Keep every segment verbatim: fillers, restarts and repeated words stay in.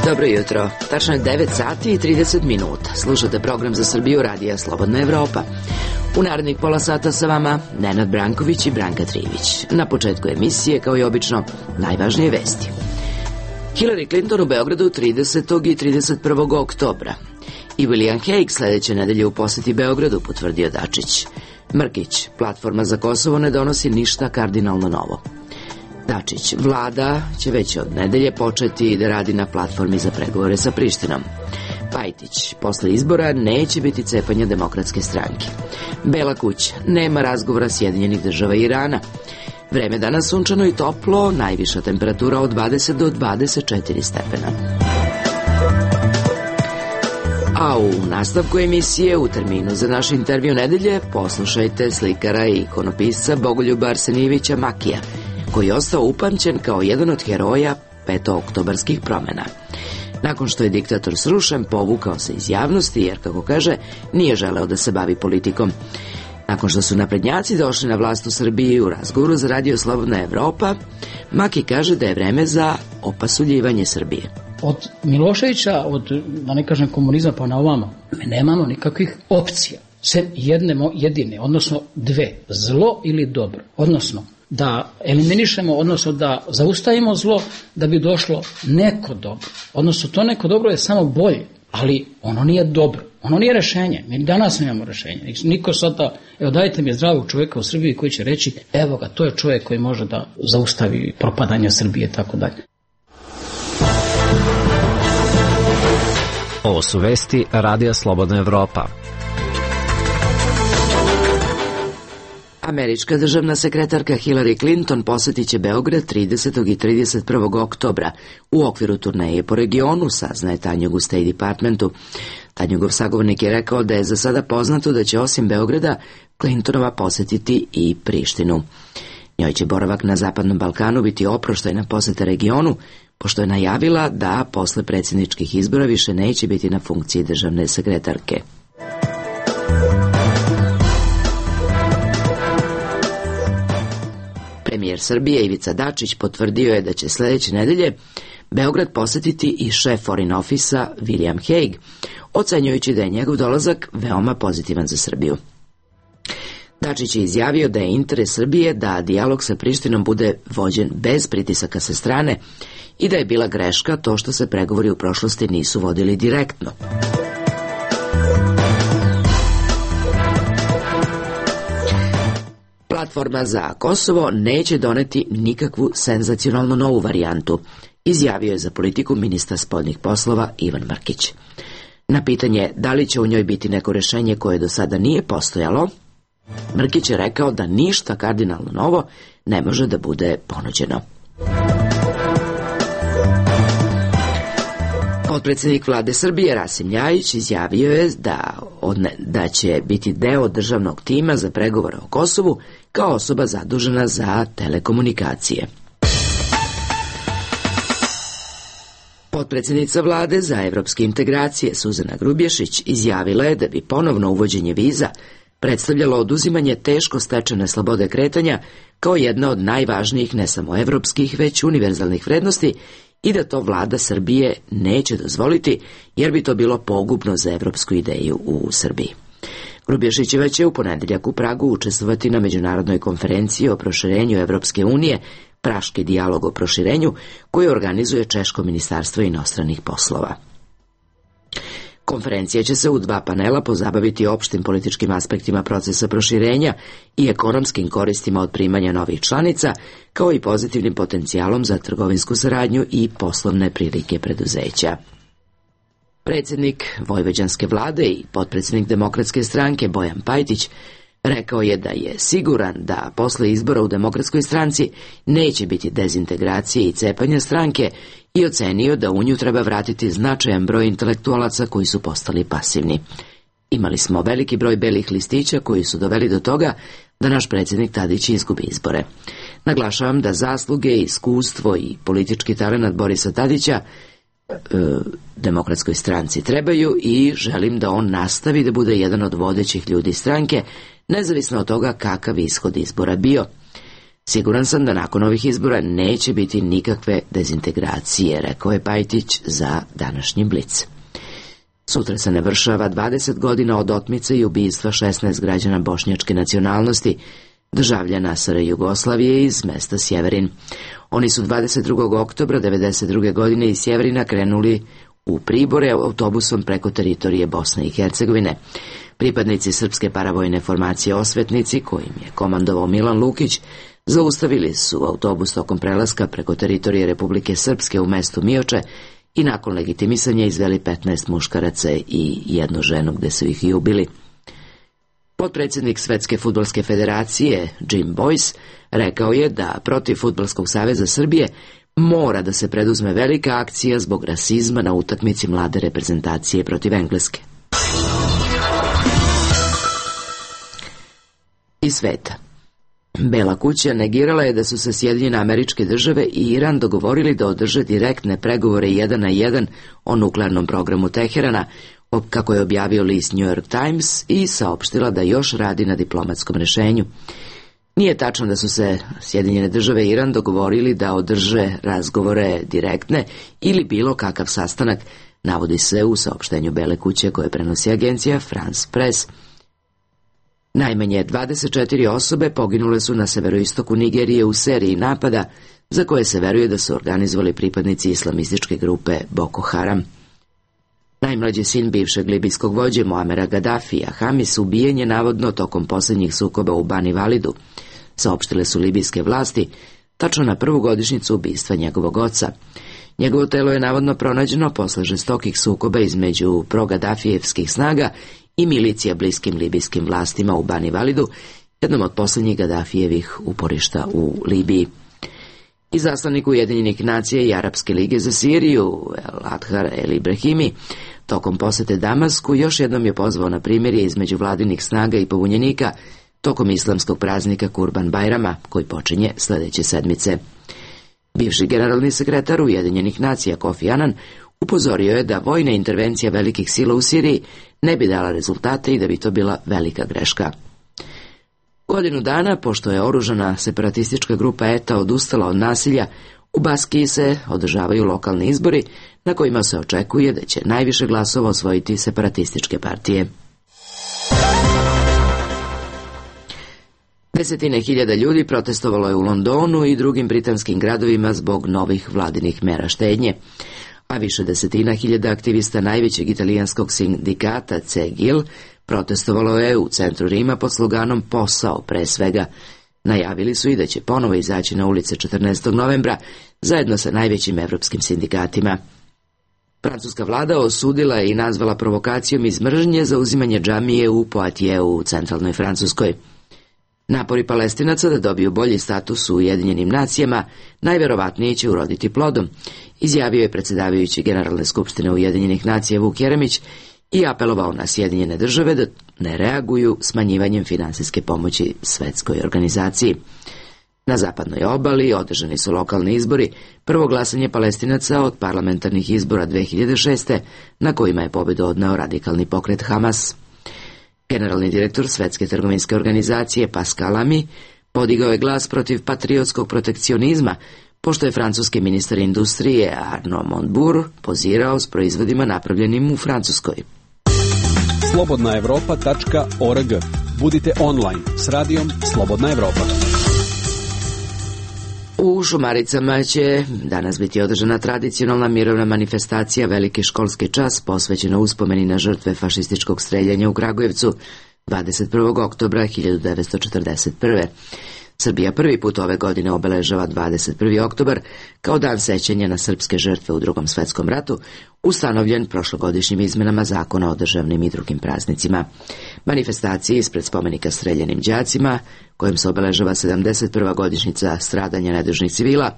Dobro jutro, tačno je devet sati i trideset minuta. Slušate program za Srbiju radija Slobodna Evropa. U narednih pola sata sa vama Nenad Branković i Branka Trivić. Na početku emisije, kao i obično, najvažnije vesti. Hillary Clinton u Beogradu tridesetog i trideset prvog oktobra. I William Hague sledeće nedelje u poseti Beogradu, potvrdio Dačić. Mrkić, platforma za Kosovo ne donosi ništa kardinalno novo. Dačić, vlada će već od nedelje početi da radi na platformi za pregovore sa Prištinom. Pajtić, posle izbora neće biti cepanja Demokratske stranke. Bela kuća, nema razgovora Sjedinjenih država i Irana. Vreme danas sunčano i toplo, najviša temperatura od dvadeset do dvadeset četiri stepena. A u nastavku emisije, u terminu za naš intervju nedelje, poslušajte slikara i ikonopisca Bogoljuba Arsenijevića Makija, koji je ostao upamćen kao jedan od heroja petooktobarskih promena. Nakon što je diktator srušen, povukao se iz javnosti jer, kako kaže, nije želeo da se bavi politikom. Nakon što su naprednjaci došli na vlast u Srbiji, u razgovoru za radio Slobodna Evropa, Maki kaže da je vreme za opasuljivanje Srbije. Od Miloševića, od, da ne kažem komunizma pa na ovamo, mi nemamo nikakvih opcija. Sem jedne, jedine, odnosno dve, zlo ili dobro. Odnosno, da eliminišemo, odnosno da zaustavimo zlo da bi došlo neko dobro. Odnosno, to neko dobro je samo bolje, ali ono nije dobro. Ono nije rešenje. Mi danas nemamo rešenje. Niko sada, evo dajte mi zdravog čovjeka u Srbiji koji će reći, evo ga, to je čovjek koji može da zaustavi propadanje Srbije, tako dalje. Ovo su vesti Radija Slobodna Evropa. Američka državna sekretarka Hillary Clinton posetit će Beograd tridesetog i trideset prvog oktobra u okviru turneje po regionu, saznaje Tanjug u State Departmentu. Tanjugov sagovornik je rekao da je za sada poznato da će osim Beograda Clintonova posetiti i Prištinu. Njoj će boravak na Zapadnom Balkanu biti oproštajna poseta regionu, pošto je najavila da posle predsjedničkih izbora više neće biti na funkciji državne sekretarke. Premijer Srbije Ivica Dačić potvrdio je da će sledeće nedelje Beograd posetiti i šef Foreign Office-a William Hague, ocenjujući da je njegov dolazak veoma pozitivan za Srbiju. Dačić je izjavio da je interes Srbije da dijalog sa Prištinom bude vođen bez pritisaka sa strane i da je bila greška to što se pregovori u prošlosti nisu vodili direktno. Platforma za Kosovo neće doneti nikakvu senzacionalno novu varijantu, izjavio je za Politiku ministar spoljnih poslova Ivan Mrkić. Na pitanje da li će u njoj biti neko rešenje koje do sada nije postojalo, Mrkić je rekao da ništa kardinalno novo ne može da bude ponuđeno. Potpredsjednik vlade Srbije Rasim Ljajić izjavio je da, odne, da će biti deo državnog tima za pregovore o Kosovu kao osoba zadužena za telekomunikacije. Potpredsjednica vlade za evropske integracije Suzana Grubješić izjavila je da bi ponovno uvođenje viza predstavljalo oduzimanje teško stečene slobode kretanja kao jedna od najvažnijih ne samo evropskih, već univerzalnih vrednosti i da to vlada Srbije neće dozvoliti, jer bi to bilo pogubno za evropsku ideju u Srbiji. Grubješićeva će u ponedeljak u Pragu učestvovati na međunarodnoj konferenciji o proširenju Evropske unije, Praški dijalog o proširenju, koju organizuje Češko ministarstvo inostranih poslova. Konferencija će se u dva panela pozabaviti opštim političkim aspektima procesa proširenja i ekonomskim koristima od primanja novih članica, kao i pozitivnim potencijalom za trgovinsku saradnju i poslovne prilike preduzeća. Predsjednik vojvođanske vlade i potpredsjednik Demokratske stranke Bojan Pajtić rekao je da je siguran da posle izbora u Demokratskoj stranci neće biti dezintegracije i cepanja stranke i ocenio da u nju treba vratiti značajan broj intelektualaca koji su postali pasivni. Imali smo veliki broj belih listića koji su doveli do toga da naš predsjednik Tadić izgubi izbore. Naglašavam da zasluge, iskustvo i politički talenat Borisa Tadića e, Demokratskoj stranci trebaju i želim da on nastavi da bude jedan od vodećih ljudi stranke, nezavisno od toga kakav ishod izbora bio. Siguran sam da nakon ovih izbora neće biti nikakve dezintegracije, rekao je Pajtić za današnji Blic. Sutra se navršava dvadeset godina od otmice i ubistva šesnaest građana bošnjačke nacionalnosti, državljana S R Jugoslavije iz mesta Sjeverin. Oni su dvadeset drugog oktobra devedeset druge godine iz Sjeverina krenuli u Pribore autobusom preko teritorije Bosne i Hercegovine. Pripadnici srpske paravojne formacije Osvetnici, kojim je komandovao Milan Lukić, zaustavili su autobus tokom prelaska preko teritorije Republike Srpske u mestu Mioče i nakon legitimisanja izveli petnaest muškaraca i jednu ženu gde su ih i ubili. Potpredsjednik Svetske fudbalske federacije Jim Boyce rekao je da protiv Fudbalskog saveza Srbije mora da se preduzme velika akcija zbog rasizma na utakmici mlade reprezentacije protiv Engleske. Iz sveta. Bela kuća negirala je da su se Sjedinjene Američke Države i Iran dogovorili da održe direktne pregovore jedan na jedan o nuklearnom programu Teherana, kako je objavio list New York Times, i saopštila da još radi na diplomatskom rešenju. Nije tačno da su se Sjedinjene Države i Iran dogovorili da održe razgovore direktne ili bilo kakav sastanak, navodi se u saopštenju Bele kuće koje prenosi agencija France Press. Najmanje dvadeset četiri osobe poginule su na severoistoku Nigerije u seriji napada za koje se veruje da su organizovali pripadnici islamističke grupe Boko Haram. Najmlađi sin bivšeg libijskog vođe Muamera Gaddafija, Hamis, ubijen je navodno tokom posljednjih sukoba u Bani Validu, saopštile su libijske vlasti, tačno na prvu godišnjicu ubistva njegovog oca. Njegovo telo je navodno pronađeno posle žestokih sukoba između pro-Gaddafijevskih snaga i milicija bliskim libijskim vlastima u Bani Validu, jednom od posljednjih Gaddafijevih uporišta u Libiji. Izaslanik Ujedinjenih nacija i Arapske lige za Siriju, El Adhar El Ibrahimi, tokom posete Damasku još jednom je pozvao na primirje između vladinih snaga i pobunjenika tokom islamskog praznika Kurban Bajrama, koji počinje sljedeće sedmice. Bivši generalni sekretar Ujedinjenih nacija Kofi Anan upozorio je da vojna intervencija velikih sila u Siriji ne bi dala rezultate i da bi to bila velika greška. Godinu dana, pošto je oružana separatistička grupa E T A odustala od nasilja, u Baskiji se održavaju lokalni izbori na kojima se očekuje da će najviše glasova osvojiti separatističke partije. Desetine hiljada ljudi protestovalo je u Londonu i drugim britanskim gradovima zbog novih vladinih mera štednje, a više desetina hiljada aktivista najvećeg italijanskog sindikata C G I L protestovalo je u centru Rima pod sloganom Posao pre svega. Najavili su i da će ponovo izaći na ulice četrnaestog novembra zajedno sa najvećim evropskim sindikatima. Francuska vlada osudila je i nazvala provokacijom iz mržnje za uzimanje džamije u Poitiers u centralnoj Francuskoj. Napori Palestinaca da dobiju bolji status u Ujedinjenim nacijama najverovatnije će uroditi plodom, izjavio je predsjedavajući Generalne skupštine Ujedinjenih nacija Vuk Jeremić i apelovao na Sjedinjene države da ne reaguju smanjivanjem finansijske pomoći svetskoj organizaciji. Na zapadnoj obali održani su lokalni izbori, prvo glasanje Palestinaca od parlamentarnih izbora dve hiljade šeste, na kojima je pobedu odneo radikalni pokret Hamas. Generalni direktor Svetske trgovinske organizacije Pascal Lamy podigao je glas protiv patriotskog protekcionizma, pošto je francuski ministar industrije Arnaud Montebourg pozirao s proizvodima napravljenim u Francuskoj. slobodna evropa tačka org. Budite online s radijom Slobodna Evropa. U Šumaricama će danas biti održana tradicionalna mirovna manifestacija Veliki školski čas posvećena uspomeni na žrtve fašističkog streljanja u Kragujevcu dvadeset prvog oktobra hiljadu devetsto četrdeset prve. Srbija prvi put ove godine obeležava dvadeset prvi oktobar kao dan sećanja na srpske žrtve u Drugom svetskom ratu, ustanovljen prošlogodišnjim izmenama zakona o državnim i drugim praznicima. Manifestaciji ispred spomenika streljanim đacima, kojim se obeležava sedamdeset prva godišnjica stradanja nedužnih civila,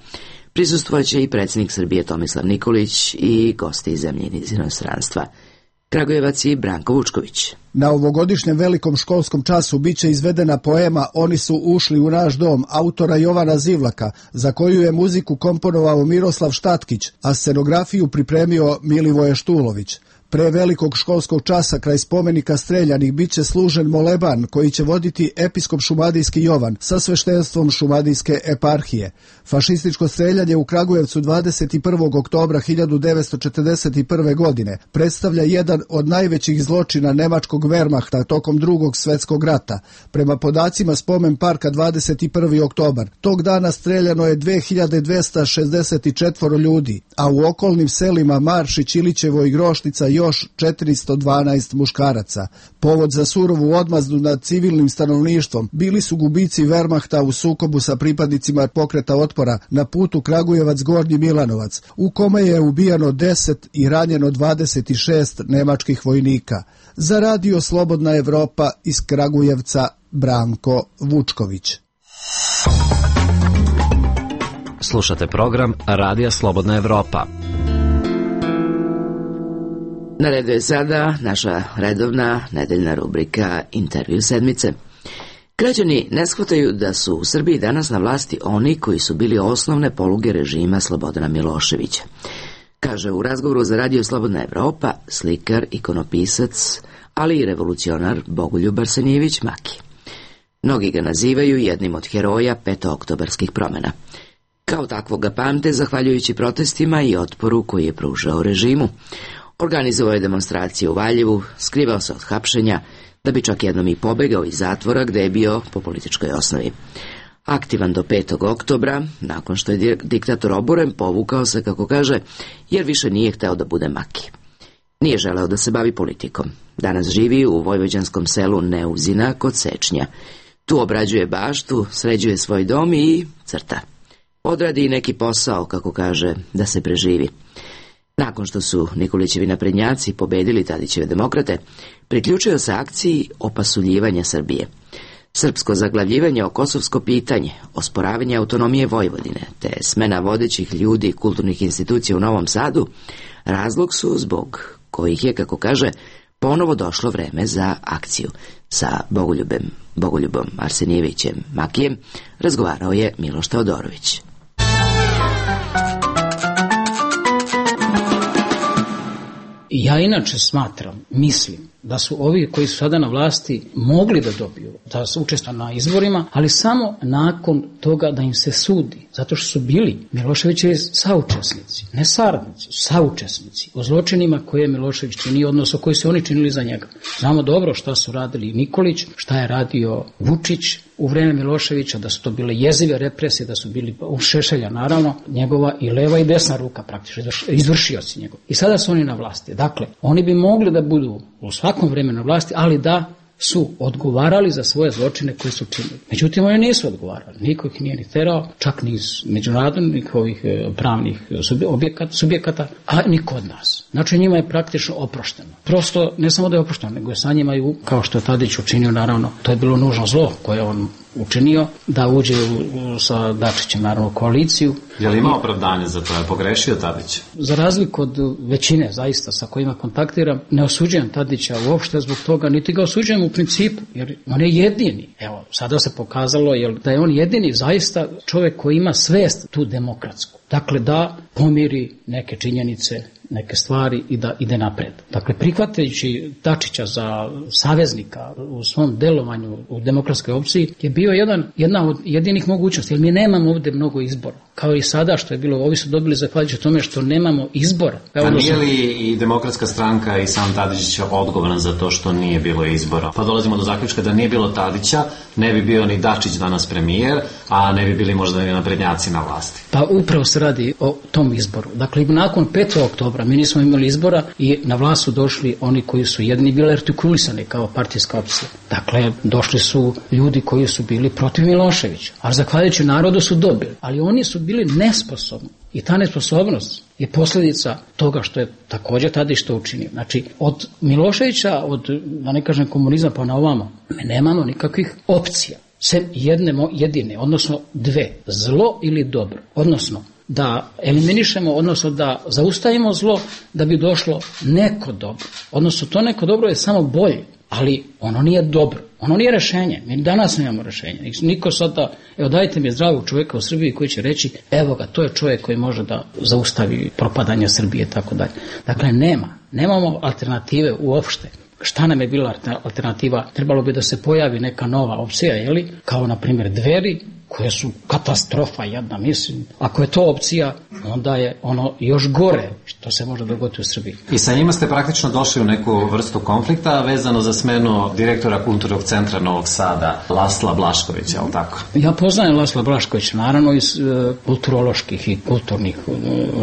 prisustvovaće i predsjednik Srbije Tomislav Nikolić i gosti iz zemlje iz inostranstva. Kragujevac i Branko Vučković. Na ovogodišnjem velikom školskom času biće izvedena poema Oni su ušli u naš dom autora Jovana Zivlaka, za koju je muziku komponovao Miroslav Štatkić, a scenografiju pripremio Milivoje Štulović. Pre velikog školskog časa kraj spomenika Streljanih biće služen moleban koji će voditi episkop šumadijski Jovan sa sveštenstvom šumadijske eparhije. Fašističko streljanje u Kragujevcu dvadeset prvog oktobra hiljadu devetsto četrdeset prve. godine predstavlja jedan od najvećih zločina nemačkog Wehrmachta tokom drugog svjetskog rata. Prema podacima spomen parka dvadeset prvi oktobar, tog dana streljano je dve hiljade dvesta šezdeset četiri ljudi, a u okolnim selima Maršić, Ilićevo i Groštica još četiristo dvanaest muškaraca. Povod za surovu odmazdu nad civilnim stanovništvom bili su gubici Wehrmachta u sukobu sa pripadnicima pokreta otpora na putu Kragujevac-Gornji Milanovac, u kome je ubijano deset i ranjeno dvadeset šest nemačkih vojnika. Za radio Slobodna Evropa iz Kragujevca Branko Vučković. Slušate program Radija Slobodna Evropa. Na redu je sada naša redovna nedeljna rubrika Intervju sedmice. Građani ne shvataju da su u Srbiji danas na vlasti oni koji su bili osnovne poluge režima Slobodana Miloševića. Kaže u razgovoru za Radio Slobodna Evropa slikar, ikonopisac, ali i revolucionar Bogoljub Arsenijević Maki. Mnogi ga nazivaju jednim od heroja petooktobarskih promjena. Kao takvog ga pamte zahvaljujući protestima i otporu koji je pružao režimu. Organizovao je demonstracije u Valjevu, skrivao se od hapšenja, da bi čak jednom i pobegao iz zatvora gde je bio po političkoj osnovi. Aktivan do petog oktobra, nakon što je diktator oboren, povukao se, kako kaže, jer više nije hteo da bude Maki. Nije želeo da se bavi politikom. Danas živi u vojvođanskom selu Neuzina kod Sečnja. Tu obrađuje baštu, sređuje svoj dom i crta. Odradi i neki posao, kako kaže, da se preživi. Nakon što su Nikolićevi naprednjaci pobedili Tadićeve demokrate, priključio se akciji opasuljivanja Srbije. Srpsko zaglavljivanje o kosovsko pitanje, osporavanje autonomije Vojvodine, te smena vodećih ljudi i kulturnih institucija u Novom Sadu, razlog su zbog kojih je, kako kaže, ponovo došlo vreme za akciju. Sa Bogoljubem, Bogoljubom Arsenijevićem Makijem razgovarao je Miloš Teodorović. Ja inače smatram, mislim, da su ovi koji su sada na vlasti mogli da dobiju, da su učestvovali na izborima, ali samo nakon toga da im se sudi, zato što su bili Miloševićevi saučesnici, ne saradnici, saučesnici u zločinima koje je Milošević činio, odnosno koji su oni činili za njega. Znamo dobro šta su radili Nikolić, šta je radio Vučić u vreme Miloševića, da su to bile jezive represije, da su bili u Šešelja, naravno, njegova i leva i desna ruka praktično, izvršioci njegov. I sada su oni na vlasti. Dakle, oni bi mogli da budu u svakom vremenu na vlasti, ali da su odgovarali za svoje zločine koje su činili. Međutim, oni nisu odgovarali. Niko ih nije ni terao, čak ni iz međunarodnih ovih pravnih subjekata, subjekata, a ni kod nas. Znači, njima je praktično oprošteno. Prosto, ne samo da je oprošteno, nego je sa njima i, kao što je Tadić učinio, naravno, to je bilo nužno zlo koje on učinio, da uđe u, sa Dačićem, naravno, koaliciju. Je li ima opravdanje za to? Je pogrešio Tadić? Za razliku od većine, zaista, sa kojima kontaktiram, ne osuđujem Tadića uopšte zbog toga, niti ga osuđujem u principu, jer on je jedini. Evo, sada se pokazalo jel, da je on jedini zaista čovjek koji ima svest tu demokratsku. Dakle, da pomiri neke činjenice, neke stvari i da ide napred. Dakle, prihvatajući Dačića za saveznika u svom delovanju u demokratskoj opciji je bio jedan, jedna od jedinih mogućnosti, jer mi nemamo ovdje mnogo izbora. Kao i sada što je bilo, ovi su dobili zahvaljujući tome što nemamo izbora. Pa nije li i demokratska stranka i sam Tadić odgovoran za to što nije bilo izbora? Pa dolazimo do zaključka da nije bilo Tadića, ne bi bio ni Dačić danas premijer, a ne bi bili možda ni naprednjaci na vlasti. Pa upravo se radi o tom izboru. Dakle, nakon petog oktobra mi nismo imali izbora i na vlast su došli oni koji su jedni bili artikulisani kao partijska opcija. Dakle, došli su ljudi koji su bili protiv Miloševića, a zahvaljujući narodu su dobili. Ali oni su bili nesposobni i ta nesposobnost je posljedica toga što je također Tadić to učinio. Znači, od Miloševića, od, da ne kažem komunizma pa na ovamo, mi nemamo nikakvih opcija. Sem jedne jedine, odnosno dve, zlo ili dobro. Odnosno, da eliminišemo, odnosno da zaustavimo zlo da bi došlo neko dobro. Odnosno to neko dobro je samo bolje, ali ono nije dobro. Ono nije rešenje. Mi danas nemamo rešenje. Niko sada, evo dajte mi zdravog čovjeka u Srbiji koji će reći, evo ga, to je čovjek koji može da zaustavi propadanje Srbije i tako dalje. Dakle, nema. Nemamo alternative uopšte. Šta nam je bila alternativa? Trebalo bi da se pojavi neka nova opcija, jeli? Kao na primjer Dveri, koje su katastrofa jedna, mislim. Ako je to opcija, onda je ono još gore što se može dogoditi u Srbiji. I sa njima ste praktično došli u neku vrstu konflikta vezano za smenu direktora Kulturnog centra Novog Sada, Lasla Blaškovića, je li tako? Ja poznajem Lasla Blaškovića, naravno iz e, kulturoloških i kulturnih e,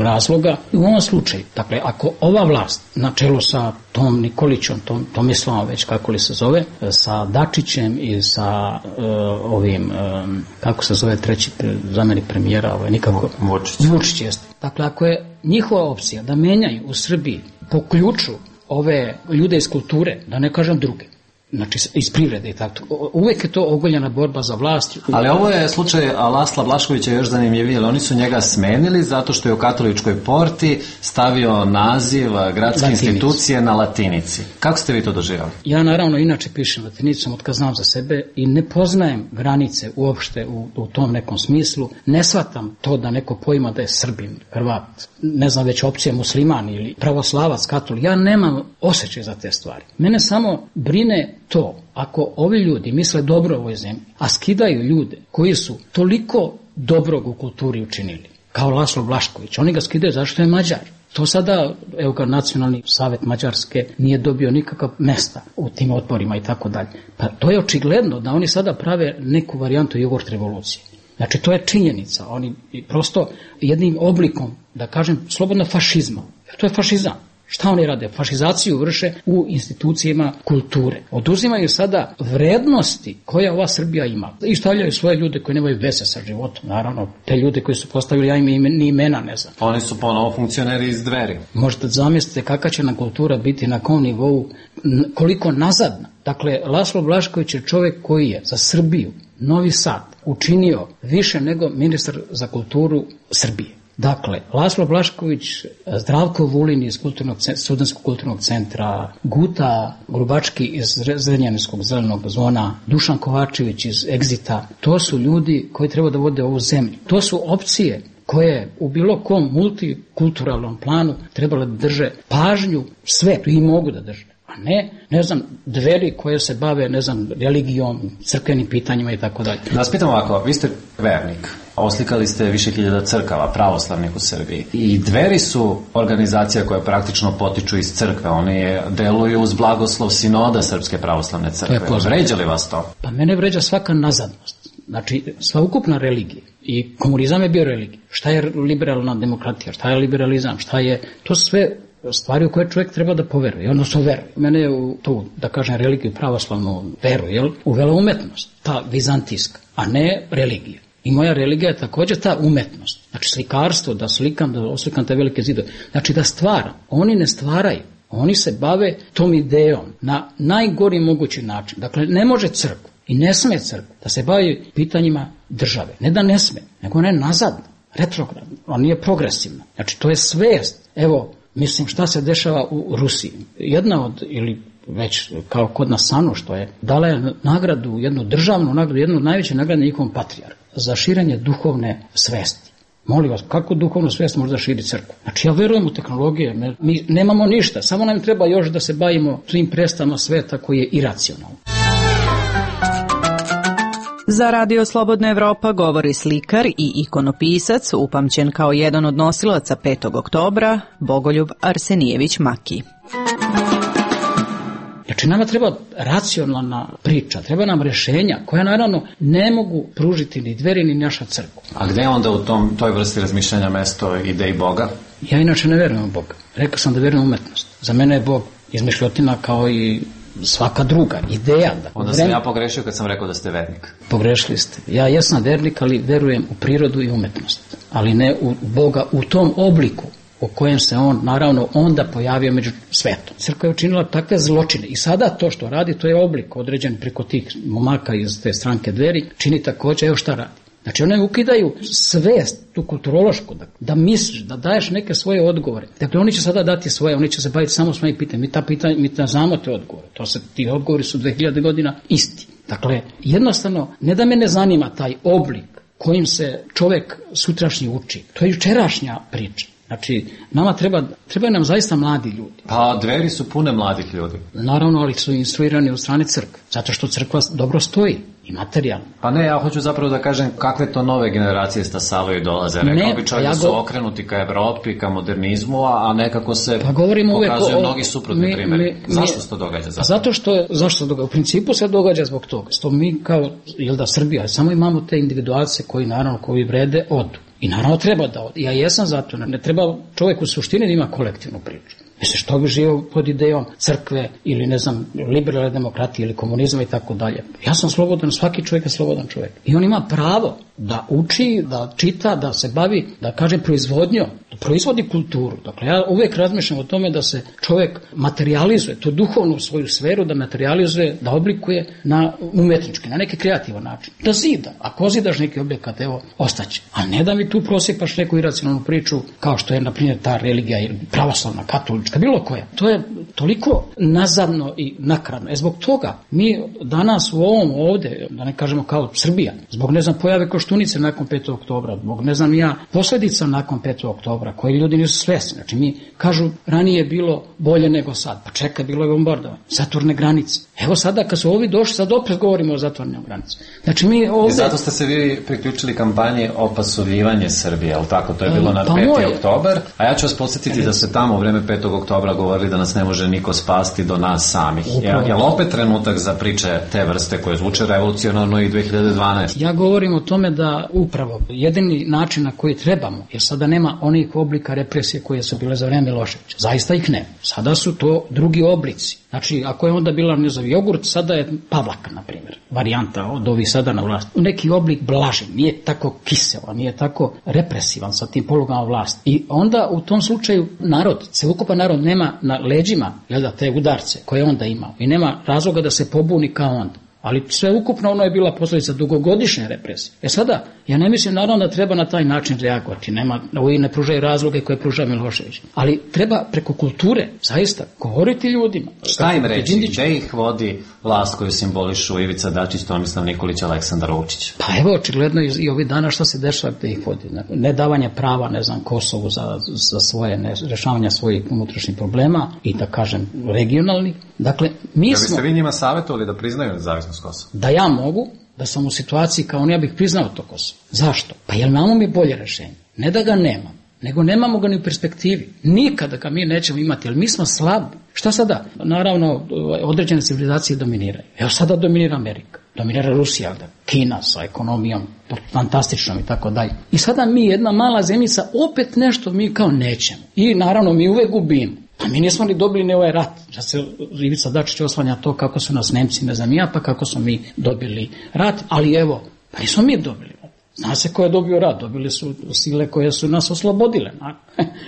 razloga. I u ovom slučaju, dakle, ako ova vlast na čelu sa Tom Nikolićom, Tom, Tomislavom već kako li se zove, sa Dačićem i sa e, ovim, e, kako se zove treći zamjenik premijera, ovaj, nikako... Vučić. Vučić jeste. Dakle, ako je njihova opcija da menjaju u Srbiji po ključu ove ljude iz kulture, da ne kažem druge, znači iz privrede i tako, uvek je to ogoljena borba za vlast. Ali ovo je slučaj Lasla Blaškovića još zanimljiviji, ali oni su njega smenili zato što je u Katoličkoj porti stavio naziv gradske Latinici. Institucije na latinici. Kako ste vi to doživjeli? Ja naravno inače pišem latinicom od kad znam za sebe i ne poznajem granice uopšte u, u tom nekom smislu. Ne shvatam to da neko pojma da je Srbin, Hrvat, ne znam već opcija musliman ili pravoslavac, katolik. Ja nemam osjećaj za te stvari. Mene samo brine to, ako ovi ljudi misle dobro u ovoj zemlji, a skidaju ljude koji su toliko dobrog u kulturi učinili, kao Laslo Blašković, oni ga skidaju zašto je Mađar. To sada, evo ga, Nacionalni savjet Mađarske nije dobio nikakav mesta u tim odborima i tako dalje. Pa to je očigledno da oni sada prave neku varijantu jogurt revolucije. Znači, to je činjenica. Oni prosto jednim oblikom, da kažem, slobodno fašizma. To je fašizam. Šta oni rade? Fašizaciju vrše u institucijama kulture. Oduzimaju sada vrednosti koje ova Srbija ima. I stavljaju svoje ljude koji nemaju veze sa životom. Naravno, te ljude koji su postavili, ja im ni imena ne znam. Oni su ponovo funkcioneri iz Dveri. Možete zamisliti kakva će nam kultura biti na kom nivou, koliko nazadna. Dakle, Laslo Blašković je čovjek koji je za Srbiju, Novi Sad, učinio više nego ministar za kulturu Srbije. Dakle, Laslo Blašković, Zdravko Vulin iz kulturnog, Studenskog kulturnog centra, Guta Grubački iz Zrenjaninskog zelenog zona, Dušan Kovačević iz Egzita, to su ljudi koji treba da vode ovu zemlju. To su opcije koje u bilo kom multikulturalnom planu trebalo da drže pažnju svetu i mogu da drže. A ne, ne znam, Dveri koje se bave, ne znam, religijom, crkvenim pitanjima i tako dalje. Da vas pitam ovako, vi ste vernik, oslikali ste više hiljada crkava, pravoslavnih u Srbiji. I Dveri su organizacija koja praktično potiču iz crkve, oni deluju uz blagoslov sinoda Srpske pravoslavne crkve. Vređa li vas to? Pa mene vređa svaka nazadnost. Znači, sva ukupna religija. I komunizam je bio religija. Šta je liberalna demokratija, šta je liberalizam, šta je, to sve stvari u koje čovjek treba da poveruje, odnosno veruje. Mene je u tu, da kažem, religiju, pravoslavnu veru, jel, uvela umetnost, ta vizantijska, a ne religija. I moja religija je također ta umetnost. Znači slikarstvo, da slikam, da oslikam te velike zidove. Znači da stvaram. Oni ne stvaraju. Oni se bave tom idejom na najgori mogući način. Dakle, ne može crkva i ne sme crkva da se bavi pitanjima države. Ne da ne sme, nego ne nazadno, retrogradno. Ona nije progresivna. Znači to je svest. Evo, mislim šta se dešava u Rusiji. Jedna od, ili već kao kod nas Sanu što je, dala je nagradu, jednu državnu nagradu, jednu od najveće nagrade na njihovom patrijarhu za širenje duhovne svesti. Molim vas, kako duhovnu svest može da širi crkvu? Znači ja verujem u tehnologije, mi nemamo ništa, samo nam treba još da se bavimo svim predstavama sveta koji je iracionalno. Za Radio Slobodna Evropa govori slikar i ikonopisac, upamćen kao jedan od nosilaca petog oktobra, Bogoljub Arsenijević Maki. Znači nama treba racionalna priča, treba nam rješenja koja naravno ne mogu pružiti ni Dveri ni naša crkva. A gde onda u tom, toj vrsti razmišljanja mesto ideji Boga? Ja inače ne verujem u Boga. Rekao sam da verujem u umetnost. Za mene je Bog izmišljotina kao i svaka druga ideja. Da onda sam ja pogrešio kad sam rekao da ste vernik. Pogrešili ste. Ja jesam vernik, ali verujem u prirodu i umetnost. Ali ne u Boga u tom obliku u kojem se on, naravno, onda pojavio među svetom. Crkva je učinila takve zločine i sada to što radi, to je oblik određen preko tih momaka iz te stranke Dveri, čini također, evo šta radi. Znači one ukidaju svest, tu kulturološku, da, da misliš, da daješ neke svoje odgovore. Dakle, oni će sada dati svoje, oni će se baviti samo svojim pitanjem. Mi ta pitanja, mi ta znamo te odgovore. To se, ti odgovori su dve hiljade godina isti. Dakle, jednostavno, ne da me ne zanima taj oblik kojim se čovjek sutrašnji uči. To je jučerašnja priča. Znači, nama treba, trebaju nam zaista mladi ljudi. Pa Dveri su pune mladih ljudi. Naravno, ali su instruirani od strane crkve. Zato što crkva dobro stoji i materijalno. Pa ne, ja hoću zapravo da kažem kakve to nove generacije stasavaju i dolaze. Rekao bi čovjek ja da su go... okrenuti ka Evropi, ka modernizmu, a nekako se pa pokazuju o... mnogi suprotni mi, primjeri. Mi, zašto se to događa? Zapravo? Zato što, zašto se događa? U principu se događa zbog toga. Što mi kao, jel da Srbija, samo imamo te individualce koji naravno, koji vrede, odu. I naravno treba da ode. Ja jesam zato, ne treba čovjek u suštini da ima kolektivnu priču. Mislim, što bi živio pod idejom crkve ili, ne znam, liberalne demokratije ili komunizma i tako dalje. Ja sam slobodan, svaki čovjek je slobodan čovjek. I on ima pravo da uči, da čita, da se bavi, da kažem, proizvodnjom, da proizvodi kulturu. Dakle, ja uvijek razmišljam o tome da se čovjek materializuje, tu duhovnu svoju sferu, da materializuje, da oblikuje na umetnički, na neki kreativan način. Da zida. Ako zidaš neki objekat, evo, ostaće. A ne da mi tu prosjepaš neku iracionalnu priču, kao što je, na primjer, ta religija ili pravoslavna, katolička, bilo koja. To je toliko nazadno i nakradno. E zbog toga mi danas u ovom ovdje, da ne kažemo kao Srbija, zbog ne znam pojave Koštunice nakon petog oktobra, zbog ne znam ja posljedica nakon petog oktobra, koji ljudi nisu svjesni. Znači mi kažu ranije je bilo bolje nego sad. Pa čekaj, bilo je bombardovanje, zatvorne granice. Evo sada kad su ovi došli, sad opet govorimo o zatvornim granicama. Znači mi ovdje... I zato ste se vi priključili kampanji opasovljivanje Srbije, ali tako? To je bilo na pa peti moje... oktobar, a ja ću vas podsjetiti da se tamo u vreme petog oktobra govorili da nas ne može niko spasti do nas samih. Je li opet trenutak za priče te vrste koje zvuče revolucionarno i dve hiljade dvanaeste? Ja govorim o tome da upravo jedini način na koji trebamo, jer sada nema onih oblika represije koje su bile za vreme Miloševića. Zaista ih nema. Sada su to drugi oblici. Znači, ako je onda bila, ne znam, jogurt, sada je Pavlaka, na primjer, varijanta od ovih sada na vlasti. Neki oblik blaži, nije tako kiseo, nije tako represivan sa tim polugama vlasti. I onda u tom slučaju narod, celokupan narod nema na leđima, jel da, te udarce koje onda imao i nema razloga da se pobuni kao onda. Ali sve ukupno ono je bila posljedica dugogodišnje represije. E sada, ja ne mislim naravno da treba na taj način reagovati. Nema, ovi ne pružaju razloge koje pruža Milošević. Ali treba preko kulture, zaista, govoriti ljudima. Šta im reći? Gde ih vodi vlast koju simbolišu Ivica Dačić, Tomislav Nikolić, Aleksandar Vučić? Pa evo, očigledno i, i ovi dana šta se dešava gde ih vodi. Nedavanje prava, ne znam, Kosovu za, za svoje, ne, rešavanja svojih unutrašnjih problema i da kažem regionalnih. Dakle, mi da smo... biste vi njima savjetovali da priznaju nezavisnost Kosova? Da ja mogu, da sam u situaciji kao on, ja bih priznao to Kosovo. Zašto? Pa jel imamo mi bolje rešenje? Ne da ga nemam, nego nemamo ga ni u perspektivi. Nikada ga mi nećemo imati, jer mi smo slabi. Šta sada? Naravno, određene civilizacije dominiraju. Evo sada dominira Amerika, dominira Rusija, Kina sa ekonomijom fantastičnom i tako dalje. I sada mi, jedna mala zemljica, opet nešto mi kao nećemo. I naravno mi uvek gubimo. Pa mi nismo ni dobili ni ovaj rat. Da se Ivica Dačić oslanja to kako su nas Nemci, ne znam ja, pa kako smo mi dobili rat. Ali evo, pa nismo mi dobili rat. Zna se ko je dobio rat. Dobili su sile koje su nas oslobodile.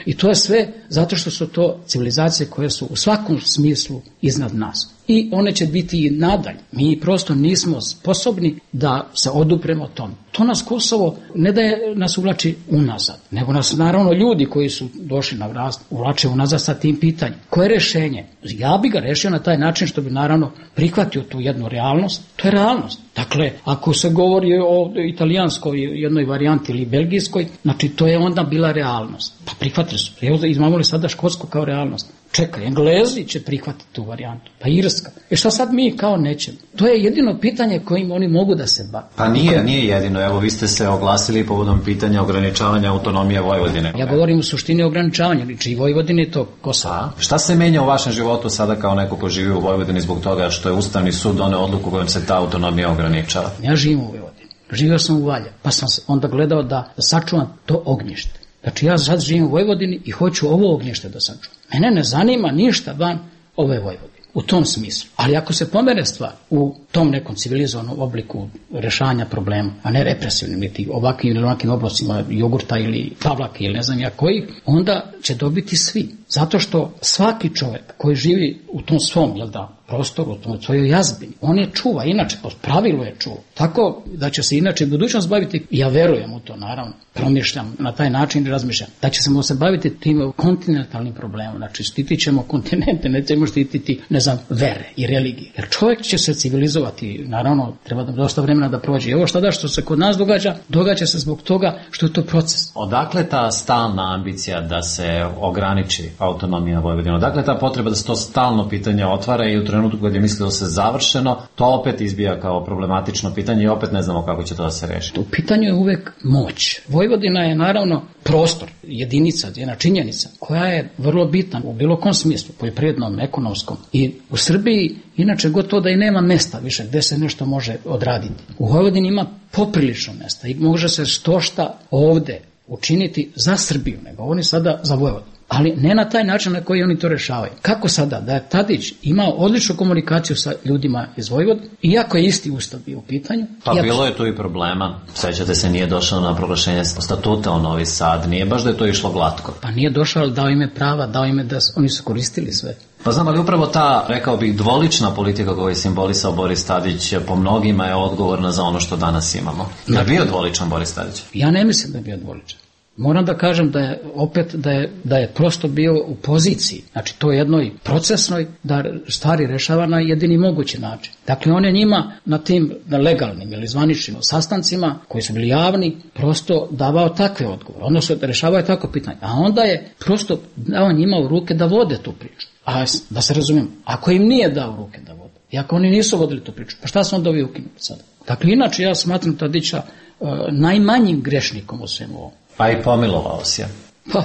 I to je sve zato što su to civilizacije koje su u svakom smislu iznad nas. I one će biti i nadalje. Mi prosto nismo sposobni da se odupremo tome. To nas Kosovo ne da je nas uvlači unazad, nego nas naravno ljudi koji su došli na vlast uvlače unazad sa tim pitanjem. Koje je rešenje? Ja bi ga rešio na taj način što bi naravno prihvatio tu jednu realnost. To je realnost. Dakle, ako se govori o italijanskoj jednoj varijanti ili belgijskoj, znači to je onda bila realnost. Pa prihvatili su. Evo imamo li sada Škotsku kao realnost? Čekaj, Englezi će prihvatiti tu varijantu, pa Irska. E šta sad mi kao nećemo? To je jedino pitanje kojim oni mogu da se bave. Pa nije, nije jedino. Evo, vi ste se oglasili povodom pitanja ograničavanja autonomije Vojvodine. Ja govorim u suštini ograničavanja, liči i Vojvodine to Kosovo. A, šta se menja u vašem životu sada kao neko ko živi u Vojvodini zbog toga što je Ustavni sud doneo odluku kojom se ta autonomija ograničava? Ja živim u Vojvodini. Živio sam u Valja, pa sam onda gledao da, da sačuvam to ognjište. Znači ja sad živim u Vojvodini i hoću ovo ognjište da sačuvam. Mene ne zanima ništa van ove Vojvodine. u tom smislu. Ali ako se pomere stvar u tom nekom civilizovanom obliku rešanja problema, a ne represivnim, niti ovakvim ili onakvim oblastima jogurta ili pavlake ili ne znam ja koji, onda će dobiti svi. Zato što svaki čovjek koji živi u tom svom, jel da, prostoru, u tom svojoj jazbini, on je čuva, inače, po pravilu je čuva. Tako da će se inače budućnost baviti, ja verujem u to, naravno, promišljam na taj način i razmišljam, da će se baviti tim kontinentalnim problemom, znači štitit ćemo kontinente, nećemo štititi, ne znam, vere i religije. Jer čovjek će se civilizovati, naravno, treba da dosta vremena da prođe. I ovo šta da što se kod nas događa, događa se zbog toga što je to proces. Odakle ta stalna ambicija da se ograniči autonomija Vojvodine? Odakle ta potreba da se to stalno pitanje otvara i u trenutku kad je mislilo se završeno, to opet izbija kao problematično pitanje i opet ne znamo kako će to da se reši? U pitanju je uvek moć. Vojvodina je naravno prostor, jedinica, jedna činjenica koja je vrlo bitna u bilo kom smislu, poljoprivrednom, ekonomskom. I u Srbiji inače gotovo da i nema mesta više gde se nešto može odraditi. U Vojvodini ima poprilično mesta i može se štošta ovde učiniti za Srbiju, nego oni sada za Vojvodinu. Ali ne na taj način na koji oni to rešavaju. Kako sada? Da je Tadić imao odličnu komunikaciju sa ljudima iz Vojvodine, iako je isti ustav bio u pitanju. Pa iako... bilo je tu i problema. Sećate se, nije došao na proglašenje statuta u Novi Sad. Nije baš da je to išlo glatko. Pa nije došao, ali dao ime prava, dao ime da oni su koristili sve. Pa znam, ali upravo ta, rekao bih, dvolična politika koju je simbolisao Boris Tadić po mnogima je odgovorna za ono što danas imamo. Je li bio dvoličan Boris Tadić? Ja ne mislim da je bio dvoličan. Moram da kažem da je opet da je, da je prosto bio u poziciji, znači to je jednoj procesnoj da stvari rešava na jedini mogući način. Dakle, on je njima na tim na legalnim ili zvaničnim sastancima koji su bili javni prosto davao takve odgovore, odnosno da rešavao je tako pitanje, a onda je prosto dao njima u ruke da vode tu priču. A da se razumijemo, ako im nije dao u ruke da vode, i ako oni nisu vodili tu priču, pa šta su onda ovi ukinuti sada? Dakle, inače ja smatram Tadića uh, najmanjim grešnikom u svemu ovom. Pa i pomilovao se. Pa,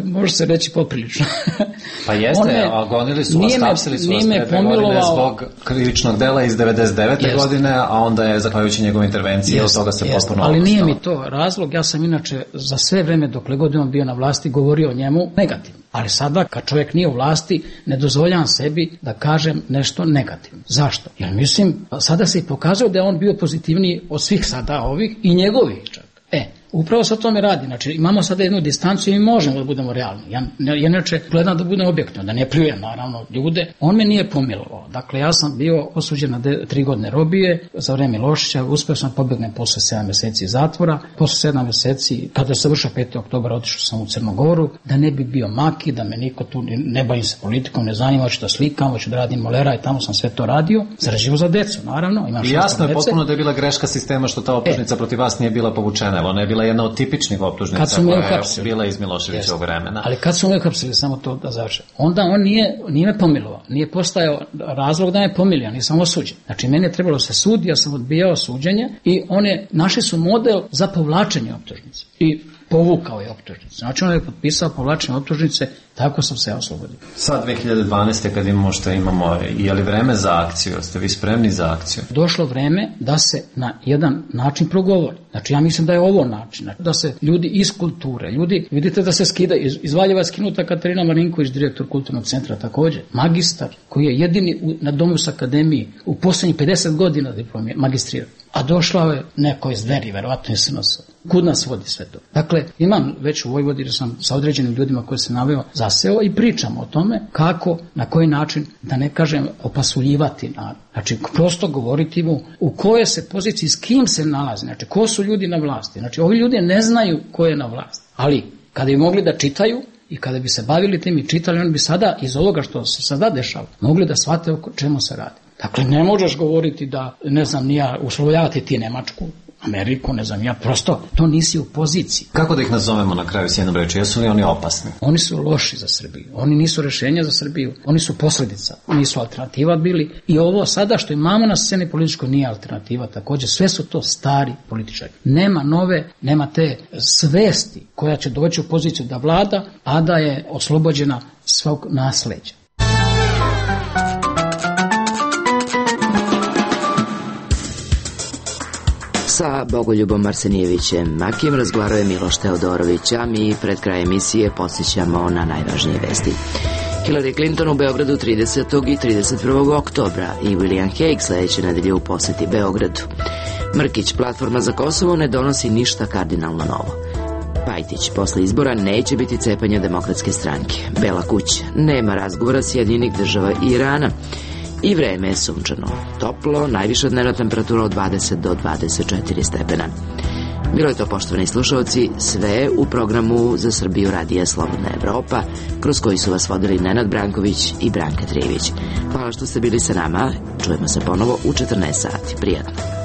može se reći poprilično. Pa jeste, me, a gonili su vas, tapsili su vas te godine zbog krivičnog dela iz devedeset devete Jeste. godine, a onda je, zahvaljujući njegove intervencije, Jeste. od toga se Jeste. potpuno Ali opustao. Nije mi to razlog, ja sam inače za sve vreme dokle god on bio na vlasti govorio o njemu negativno. Ali sada, kad čovjek nije u vlasti, ne dozvoljavam sebi da kažem nešto negativno. Zašto? Jer mislim, sada se i pokazao da je on bio pozitivniji od svih sada ovih i njegovih čak. E, upravo se o tome radi. Znači, imamo sada jednu distanciju i možemo da budemo realni. Ja, ja inače gledam da budem objektivno, da ne pljujem naravno ljude. On me nije pomilovao. Dakle, ja sam bio osuđen na de, tri godine robije za vreme Miloševića. Uspeo sam pobegnem posle sedam meseci zatvora. Posle sedam meseci, kada se vršao petog oktobra, otišao sam u Crnogoru, da ne bi bio maki, da me niko tu ne bavim se politikom, ne zanima, hoću da slikam, hoću da radim molera i tamo sam sve to radio. Zarađivo za decu, naravno. Imam I jasno je potpuno da je bila greška sistema što ta optužnica e, protiv vas nije bila povučena. Ona je bila jedna od tipičnih optužnica koja je bila iz Miloševićevog vremena. Ali kad su me uhapsili, samo to da završim, onda on nije, nije me pomilovao, nije postajao razlog da me pomilio, nisam osuđen. Znači, meni je trebalo se sudi, ja sam odbijao suđenje i one, našli su model za povlačenje optužnice i povukao je optužnice. Znači, on je potpisao povlačenje optužnice, tako sam se oslobodio. Sad dve hiljade dvanaeste kad imamo što imamo, je li vreme za akciju? Ste vi spremni za akciju? Došlo vreme da se na jedan način progovori. Znači, ja mislim da je ovo način. Da se ljudi iz kulture, ljudi, vidite da se skida, iz, iz Valjeva skinuta Katarina Marinković, direktor kulturnog centra također, magistar, koji je jedini u, na Domus akademiji u posljednjih pedeset godina diplomije, magistrirao. A došla je neko iz Dveri, verovatno je S N S. Kud nas vodi sve to? Dakle, imam već u Vojvodini, sam sa određenim ljudima koji se naveo zaseo i pričamo o tome kako, na koji način, da ne kažem opasuljivati narod. Znači, prosto govoriti mu u kojoj se poziciji, s kim se nalazi, znači, ko su ljudi na vlasti. Znači, ovi ljudi ne znaju ko je na vlasti. Ali, kada bi mogli da čitaju i kada bi se bavili tim i čitali, oni bi sada, iz ovoga što se sada dešava, mogli da shvate o čemu se radi. Dakle, ne možeš govoriti da, ne znam, nija uslovljavati ti Nemačku, Ameriku, ne znam, ja prosto, to nisi u poziciji. Kako da ih nazovemo na kraju s jednom reči? Jesu li oni opasni? Oni su loši za Srbiju. Oni nisu rešenja za Srbiju. Oni su posledica. Oni su alternativa bili. I ovo sada što imamo na sceni političkoj nije alternativa također. Sve su to stari političari. Nema nove, nema te svesti koja će doći u poziciju da vlada, a da je oslobođena svog nasleđa. Sa Bogoljubom Arsenijevićem Makijem razgovarao je Miloš Teodorović, a mi pred kraj emisije podsjećamo na najvažnije vesti. Hillary Clinton u Beogradu tridesetog i trideset prvog oktobra i William Hague sledeće nedelje u poseti Beogradu. Mrkić, Platforma za Kosovo, ne donosi ništa kardinalno novo. Pajtić, posle izbora neće biti cepanja Demokratske stranke. Bela kuća, nema razgovora Sjedinjenih država i Irana. I vreme je sunčano, toplo, najviša dnevna temperatura od dvadeset do dvadeset četiri stepena. Bilo je to, poštovani slušalci, sve u programu Za Srbiju Radija Slobodna Evropa, kroz koji su vas vodili Nenad Branković i Branka Trijević. Hvala što ste bili sa nama, čujemo se ponovo u četrnaest sati. Prijatno.